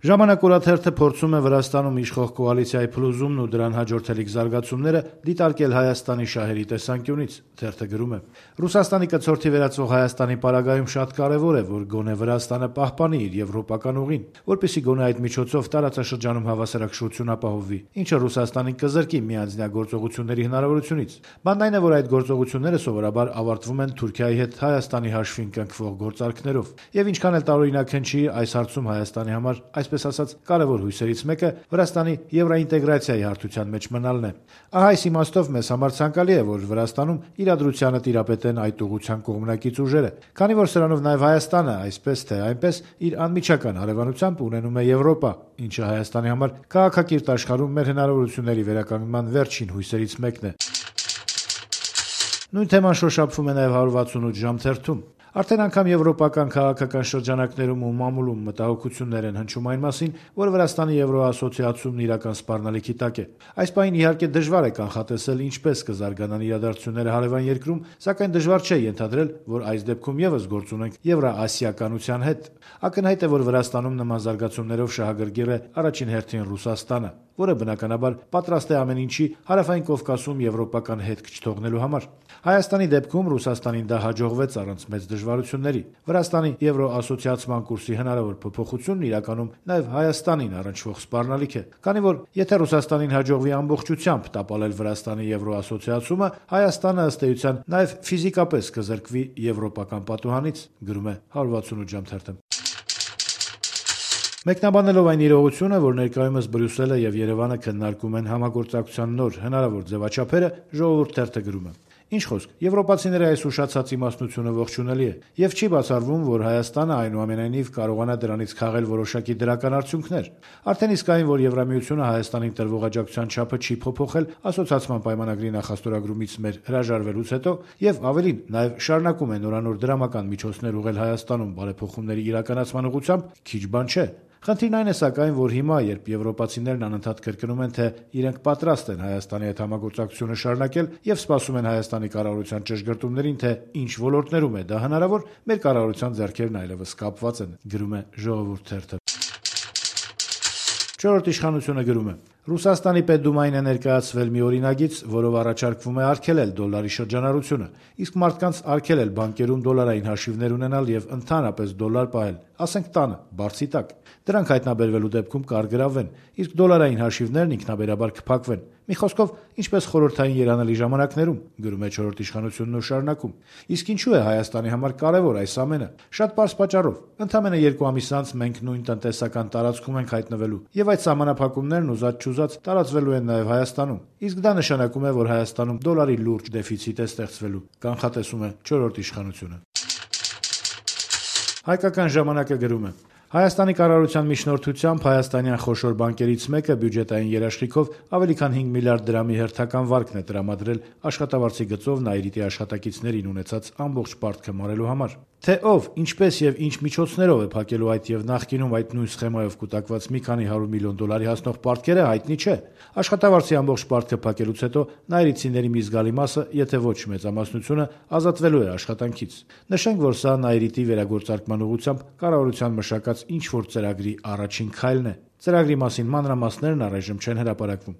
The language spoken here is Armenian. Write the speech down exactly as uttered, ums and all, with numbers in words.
Ժամանակ օրաթերթը փորձում է Վրաստանում իշխող կոալիցիայի փլուզումն ու դրան հաջորդելիք զարգացումները դիտարկել Հայաստանի շահերի տեսանկյունից: Թերթը գրում է. «Ռուսաստանի կցորդի վերածվող Հայաստանի պարագայում շատ կարևոր է, որ գոնե Վրաստանը պահպանի իր եվրոպական ուղին, որպեսզի գոնե այդ միջոցով տարածաշրջանում հավասարակշռություն ապահովվի, ինչը Ռուսաստանին կզրկի միանձնյա գործողությունների հնարավորությունից: Բանն այն է, որ այդ գործողությունները սովորաբար ավարտվում են Թուրքիայի հետ Հայաստանի հաշվին կնքվող գործարքներով: Եվ ինչքան էլ տարօրինակ հնչի, այս հարցում Հայաստանի համար, այսպես ասած, կարևոր հույսերից մեկը Վրաստանի եվրաինտեգրացիայի հարթության մեջ մնալն է: Ահա այս իմաստով մեզ համար ցանկալի է, որ Վրաստանում իրադրությանը տիրապետեն այդ ուղղության կողմնակից ուժերը, քանի որ սրանով նաև Հայաստանը, այսպես թե այնպես, իր անմիջական հարևանությամբ ունենում է Եվրոպա, ինչը Հայաստանի համար քաղաքակիրթ աշխարհում մեր հնարավորությունների վերականգնման վերջին հույսերից մեկն է»: Նույն թեման շոշափվում է նաև հարյուր վաթսունութ ժամ թերթում: Արդեն անգամ եվրոպական քաղաքական շրջանակներում ու մամուլում մտահոգություններ են հնչում այն մասին, որ Վրաստանի եվրոասոցիացումն իրական սպառնալիքի տակ է: Այս պահին իհարկե դժվար է կանխատեսել ինչպես կզարգանան իրադարձությունները հարևան երկրում, սակայն դժվար չէ ենթադրել, որ այս դեպքում ևս գործ ունենք եվրաասիականության հետ: Ակնհայտ է, որ Վրաստանում նման զարգացումներով շահագրգիռ է առաջին հերթին Ռուսաստանը, որը բնականաբար պատրաստ է ամեն ինչի Հարավային Կովկասում եվրոպական հետք չթողնելու համար: Հայաստանի դեպքում Ռուսաստանին դա հաջողվեց առանց մեծ դժվարությունների: Վրաստանի եվրոասոցիացման կուրսի հնարավոր փոփոխությունն իրականում նաև Հայաստանին առնչվող սպառնալիք է, քանի որ եթե Ռուսաստանին հաջողվի ամբողջությամբ տապալել Վրաստանի եվրոասոցիացումը, Հայաստանը ըստ էության նաև ֆիզիկապես կզրկվի եվրոպական պատուհանից: Մեկնաբանելով այն իրողությունը, որ ներկայումս Բրյուսելը և Երևանը քննարկում են համագործակցության նոր հնարավոր ձևաչափերը, Ժողովուրդ թերթը գրում է. «Ինչ խոսք, եվրոպացիների այս ուշացած իմաստնությունը ողջունելի է, եւ չի բացառվում, որ Հայաստանը այնուամենայնիվ կարողանա դրանից քաղել որոշակի դրական արդյունքներ: Արդեն իսկ այն, որ Եվրամիությունը Հայաստանին տրվող աջակցության չափը չի փոփոխել ասոցիացման պայմանագրի նախաստորագրումից մեր հրաժարվելուց հետո, եւ ավելին, նաեւ շարունակում է նորանոր դրամական միջոցներ ուղղել Հայաստանում բարեփոխումների իրականացման ուղղությամբ, քիչ բան չէ: Խնդիրն այն է սակայն, որ հիմա, երբ եվրոպացիներն անընդհատ կրկնում են, թե իրենք պատրաստ են Հայաստանի հետ համագործակցությունը շարունակել եւ սպասում են Հայաստանի կառավարության ճշգրտումներին, թե ինչ ոլորտներում է դա հնարավոր, մեր կառավարության ձեռքերն այլեւս կապված են»: «Չորրորդ իշխանությունը» գրում է. «Ռուսաստանի Պետդումային է ներկայացվել մի օրինագիծ, որով առաջարկվում է արգելել դոլարի շրջանառությունը, իսկ մարդկանց արգելել բանկերում դոլարային հաշիվներ ունենալ եւ ընդհանրապես դոլար պահել, ասենք տանը, բարձի տակ: Դրանք հայտնաբերվելու դեպքում կարգրավվեն, իսկ դոլարային հաշիվներն ինքնաբերաբար կփակվեն: Մի խոսքով, ինչպես խորհրդային երանելի ժամանակներում: Իսկ ինչու է Հայաստանի համար կարեւոր այս ամենը: Շատ պարզ պատճառով: Ընդամենը երկու ամիս անց մենք նույն տնտեսական տարածքում ենք հայտնվելու, եւ այդ սահմանափակումներն ուզած-չուզած տարածվելու են նաեւ Հայաստանում: Իսկ դա նշանակում է, որ Հայաստանում դոլարի լուրջ դեֆիցիտ է ստեղծվելու»: «Հայկական ժամանակ»-ը գրում է. «Հայաստանի կառավարության միջնորդությամբ հայաստանյան խոշոր բանկերից մեկը բյուջետային երաշխիքով ավելի քան հինգ միլիարդ դրամի հերթական վարկն է տրամադրել աշխատավարձի գծով Նայիրիտի աշխատակիցներին ունեցած ամբողջ պարտքը մարելու համար: Թե ով, ինչպես եւ ինչ միջոցներով է փակելու այդ եւ նախկինում այդ նույն սխեմայով կուտակված մի քանի հարյուր միլիոն դոլարի հասնող պարտքերը, հայտնի չէ: Աշխատավարձի ամբողջ պարտքը փակելուց հետո նայիրիտցիների մի զգալի մասը, եթե ոչ մեծամասնությունը, ազատվելու է աշխատանքից: Նշենք, որ սա Նայիրիտի վերագործարկման ուղղությամբ կառավարության մշակած ինչ-որ ծրագրի առաջին քայլն է: Ծրագրի մասին մանրամասներն առայժմ չեն հրապարակվում»: